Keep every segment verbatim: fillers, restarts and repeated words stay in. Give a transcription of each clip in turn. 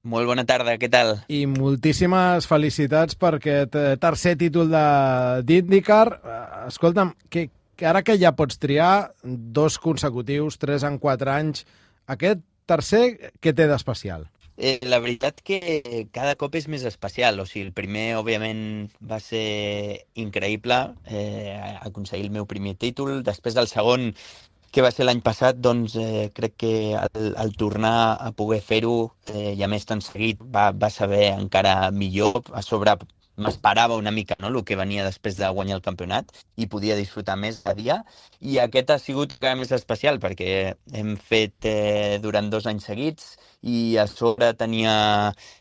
Molt bona tarda, què tal? I moltíssimes felicitats per aquest eh, tercer títol de d'IndyCar. Eh, Escolta'm, que, que ara que ja pots triar dos consecutius, tres en quatre anys, aquest tercer, què té d'especial? Eh, la veritat que cada cop és més especial. O sigui, el primer, òbviament, va ser increïble, eh, aconseguir el meu primer títol. Després del segon, que va ser l'any passat, doncs eh, crec que el, el tornar a poder fer-ho, eh, i a més tan seguit, va, va saber encara millor. A sobre m'esperava una mica, no?, el que venia després de guanyar el campionat i podia disfrutar més de dia. I aquest ha sigut encara més especial perquè hem fet eh, durant dos anys seguits i a sobre tenia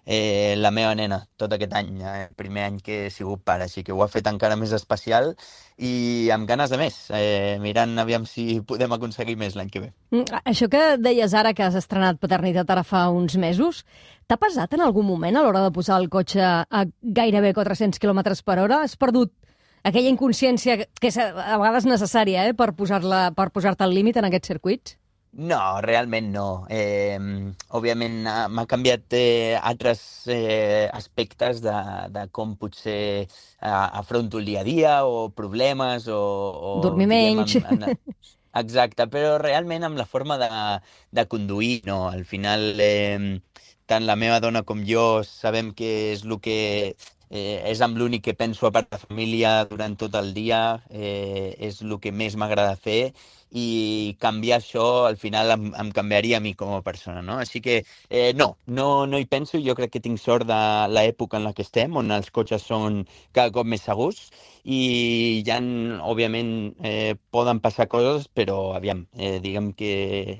eh, la meva nena tot aquest any, eh, el primer any que he sigut pare, així que ho ha fet encara més especial i amb ganes de més, eh, mirant aviam si podem aconseguir més l'any que ve. Mm, Això que deies ara que has estrenat paternitat ara fa uns mesos, t'ha pesat en algun moment a l'hora de posar el cotxe a gairebé quatre-cents quilòmetres per hora? Has perdut aquella inconsciència que és a vegades necessària eh, per posar-la, per posar-te al límit en aquests circuits? No, realment no. Eh, òbviament ha- m'ha canviat eh, altres eh, aspectes de, de com potser eh, afronto el dia a dia o problemes o, o Dormir diguem, menys. en, en, exacte, però realment amb la forma de, de conduir, no? Al final, eh, tant la meva dona com jo sabem que és el que eh, és amb l'únic que penso a part de família durant tot el dia, eh, és el que més m'agrada fer i canviar això al final em, em canviaria a mi com a persona, no? Així que eh, no, no, no hi penso. Jo crec que tinc sort de l'època en la que estem, on els cotxes són cada cop més segurs i ja, òbviament, eh, poden passar coses, però aviam, eh, diguem que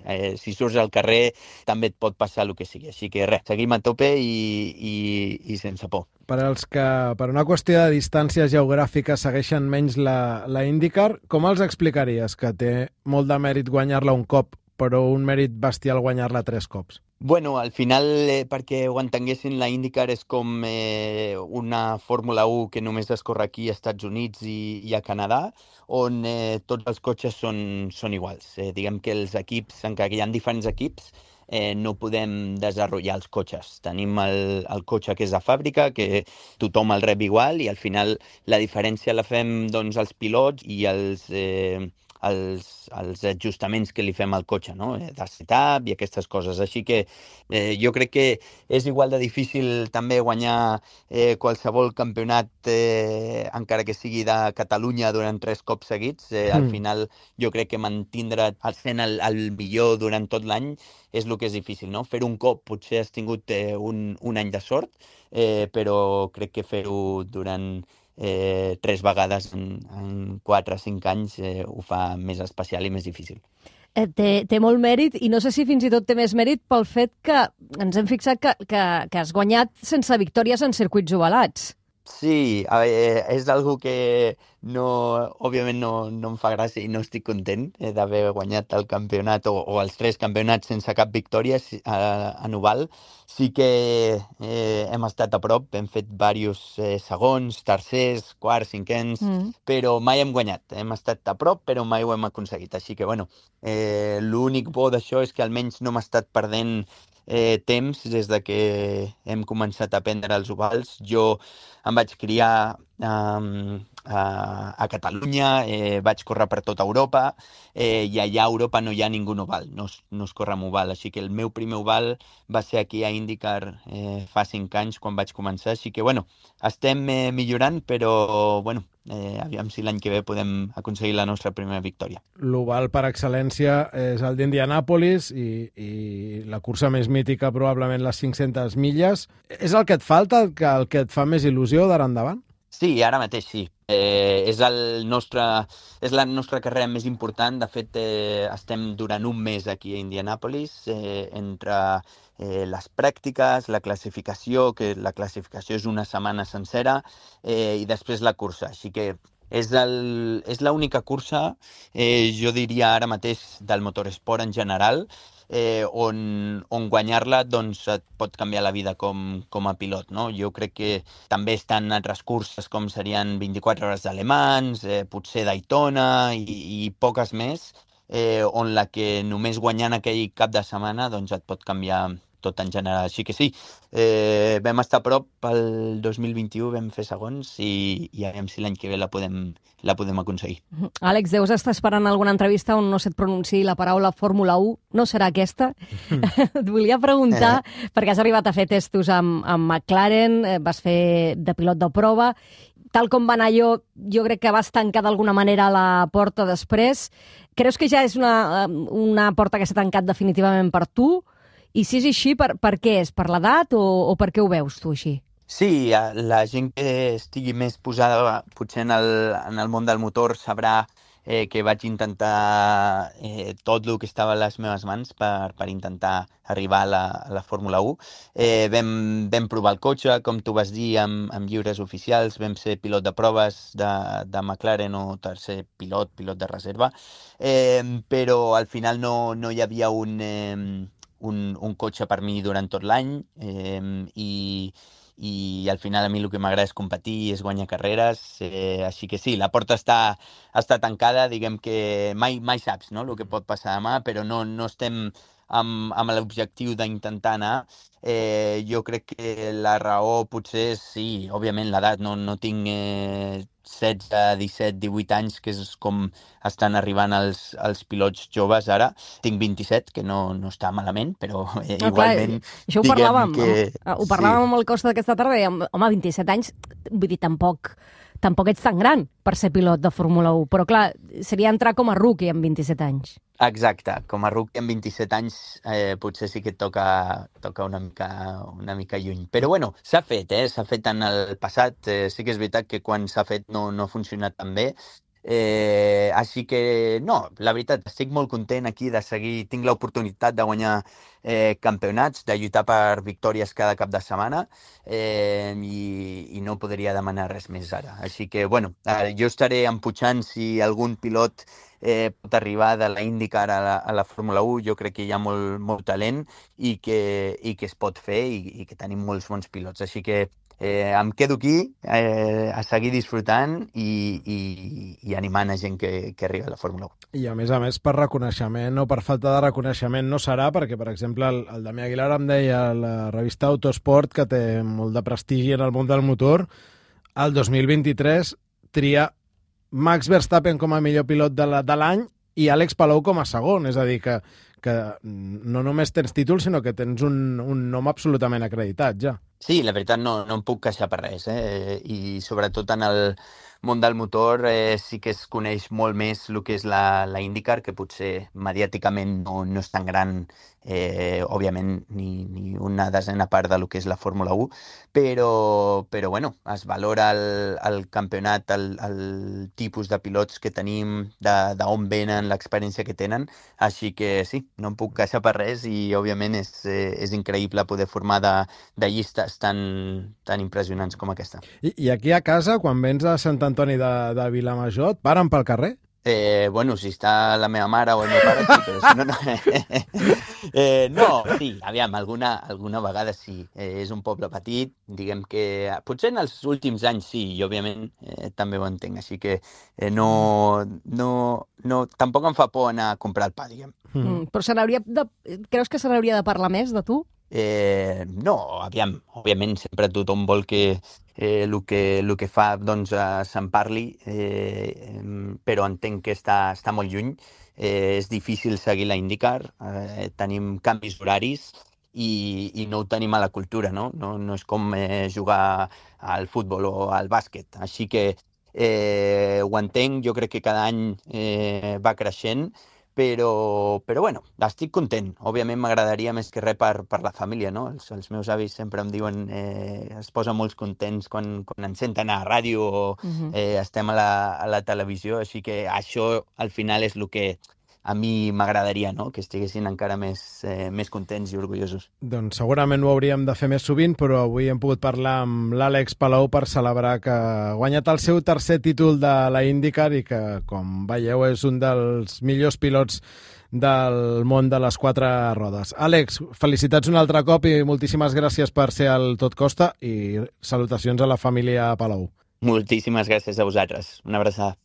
eh, si surts al carrer també et pot passar el que sigui. Així que res, seguim a tope i, i, i sense por. Per als que, per una qüestió de distàncies geogràfiques, segueixen menys la, la IndyCar, com els explicaries que té molt de mèrit guanyar-la un cop, però un mèrit bestial guanyar-la tres cops? Bueno, al final, eh, perquè ho entenguessin, la IndyCar és com eh, una Fórmula u que només es corre aquí als Estats Units i, i a Canadà, on eh, tots els cotxes són, són iguals. Eh, diguem que els equips, encara que hi ha diferents equips, eh, no podem desenvolupar els cotxes. Tenim el, el cotxe que és de fàbrica, que tothom el rep igual, i al final la diferència la fem doncs, els pilots i els... Eh, els, els ajustaments que li fem al cotxe, no? Eh, de setup i aquestes coses. Així que eh, jo crec que és igual de difícil també guanyar eh, qualsevol campionat, eh, encara que sigui de Catalunya durant tres cops seguits. Eh, al Mm. final jo crec que mantindre sent el, el millor durant tot l'any és el que és difícil, no? Fer un cop potser has tingut eh, un, un any de sort, eh, però crec que fer-ho durant eh, tres vegades en, en quatre o cinc anys eh, ho fa més especial i més difícil. Eh, té, té molt mèrit i no sé si fins i tot té més mèrit pel fet que ens hem fixat que, que, que has guanyat sense victòries en circuits ovalats. Sí, a veure, és algo que no, òbviament no, no em fa gràcia i no estic content eh, d'haver guanyat el campionat o, o els tres campionats sense cap victòria sí, a, en oval. Sí que eh, hem estat a prop, hem fet diversos eh, segons, tercers, quarts, cinquens, Mm. però mai hem guanyat. Hem estat a prop, però mai ho hem aconseguit. Així que, bueno, eh, l'únic bo d'això és que almenys no m'ha estat perdent eh, temps des de que hem començat a prendre els ovals. Jo em vaig criar um, a, a Catalunya, eh, vaig córrer per tota Europa eh, i allà a Europa no hi ha ningú oval, no es, no es corre amb oval. Així que el meu primer oval va ser aquí a IndyCar eh, fa cinc anys quan vaig començar. Així que, bueno, estem eh, millorant, però, bueno, eh, aviam si l'any que ve podem aconseguir la nostra primera victòria. L'oval per excel·lència és el d'Indianàpolis i, i la cursa més mítica, probablement les cinc-centes milles. És el que et falta, el que, el que et fa més il·lusió d'ara endavant? Sí, ara mateix sí. Eh, és, el nostre, és la nostra carrera més important. De fet, eh, estem durant un mes aquí a Indianapolis, eh, entre eh, les pràctiques, la classificació, que la classificació és una setmana sencera, eh, i després la cursa. Així que és, el, és l'única cursa, eh, jo diria ara mateix, del motoresport en general, eh, on, on guanyar-la doncs, et pot canviar la vida com, com a pilot, no? Jo crec que també estan altres curses com serien vint-i-quatre hores d'Alemans, eh, potser Daytona i, i poques més, eh, on la que només guanyant aquell cap de setmana doncs, et pot canviar tot en general. Així que sí, eh, vam estar a prop el dos mil vint-i-u, vam fer segons i, i a veure si l'any que ve la podem, la podem aconseguir. Àlex, deus estar esperant alguna entrevista on no se't pronunciï la paraula Fórmula u. No serà aquesta? Et volia preguntar, eh. perquè has arribat a fer testos amb, amb McLaren, vas fer de pilot de prova. Tal com va anar jo, jo crec que vas tancar d'alguna manera la porta després. Creus que ja és una, una porta que s'ha tancat definitivament per tu? I si és així, per, per què és? Per l'edat o, o per què ho veus tu així? Sí, la gent que estigui més posada potser en el, en el món del motor sabrà eh, que vaig intentar eh, tot el que estava a les meves mans per, per intentar arribar a la, a la Fórmula u. Eh, vam, vam provar el cotxe, com tu vas dir, amb, amb lliures oficials, vam ser pilot de proves de, de McLaren o tercer pilot, pilot de reserva, eh, però al final no, no hi havia un, eh, un, un cotxe per mi durant tot l'any eh, i i al final a mi el que m'agrada és competir i és guanyar carreres, eh, així que sí, la porta està, està tancada, diguem que mai, mai saps, no?, el que pot passar demà, però no, no estem amb, amb l'objectiu d'intentar anar. Eh, jo crec que la raó potser és, sí, òbviament l'edat, no, no tinc eh, setze, disset, divuit anys, que és com estan arribant els, els pilots joves ara. Tinc vint-i-set, que no, no està malament, però eh, no, igualment... Clar, això ho parlàvem, que... amb, ho parlàvem sí. amb el Costa d'aquesta tarda, i amb, home, vint-i-set anys, vull dir, tampoc, tampoc ets tan gran per ser pilot de Fórmula u, però clar, seria entrar com a rookie amb vint-i-set anys. Exacte, com a rookie amb vint-i-set anys eh, potser sí que et toca, toca una, mica, una mica lluny. Però bueno, s'ha fet, eh? S'ha fet en el passat. Eh, sí que és veritat que quan s'ha fet no, no ha funcionat tan bé. Eh, així que no, la veritat, estic molt content aquí de seguir, tinc l'oportunitat de guanyar eh, campionats, de lluitar per victòries cada cap de setmana eh, i, i no podria demanar res més ara. Així que, bueno, eh, jo estaré empujant si algun pilot eh, pot arribar de la IndyCar a la, a la Fórmula u. Jo crec que hi ha molt, molt talent i que, i que es pot fer i, i que tenim molts bons pilots. Així que Eh, em quedo aquí eh, a seguir disfrutant i, i, i animant a gent que, que arriba a la Fórmula u. I a més a més, per reconeixement o per falta de reconeixement no serà, perquè, per exemple, el, el Damià Aguilar em deia a la revista Autosport, que té molt de prestigi en el món del motor, el dos mil vint-i-tres tria Max Verstappen com a millor pilot de l'any i Àlex Palou com a segon, és a dir, que, que no només tens títol, sinó que tens un, un nom absolutament acreditat, ja. Sí, la veritat no, no em puc queixar per res, eh? I sobretot en el món del motor eh, sí que es coneix molt més el que és la, la IndyCar, que potser mediàticament no, no és tan gran, eh, òbviament, ni, ni una desena part del que és la Fórmula u, però, però bueno, es valora el, el campionat, el, el tipus de pilots que tenim, d'on venen, l'experiència que tenen, així que sí, no em puc queixar per res i òbviament és, eh, és increïble poder formar de, de llistes tan, tan impressionants com aquesta. I, I aquí a casa, quan vens a Sant Antoni de, de Vilamajor, et paren pel carrer? Eh, bueno, si està la meva mare o el meu pare, sí, però si no, no. eh, no, sí, aviam, alguna, alguna vegada sí. Eh, és un poble petit, diguem que potser en els últims anys sí, i òbviament eh, també ho entenc, així que eh, no, no, no, tampoc em fa por anar a comprar el pa, diguem. Mm, però se n'hauria de... Creus que se n'hauria de parlar més de tu? Eh, no, aviam, òbviament sempre tothom vol que eh, el que, el que fa doncs, eh, se'n parli, eh, però entenc que està, està molt lluny. Eh, és difícil seguir la IndyCar, eh, tenim canvis horaris i, i no ho tenim a la cultura, no? No, no és com eh, jugar al futbol o al bàsquet. Així que eh, ho entenc, jo crec que cada any eh, va creixent, però, però bueno, estic content. Òbviament m'agradaria més que res per, per la família, no? Els, els meus avis sempre em diuen eh, es posen molt contents quan, quan ens senten a la ràdio o uh-huh. eh, estem a la, a la televisió, així que això al final és el que a mi m'agradaria, no? Que estiguessin encara més, eh, més contents i orgullosos. Doncs segurament ho hauríem de fer més sovint, però avui hem pogut parlar amb l'Àlex Palou per celebrar que ha guanyat el seu tercer títol de la IndyCar i que, com veieu, és un dels millors pilots del món de les quatre rodes. Àlex, felicitats un altre cop i moltíssimes gràcies per ser al Tot Costa i salutacions a la família Palou. Moltíssimes gràcies a vosaltres. Una abraçada.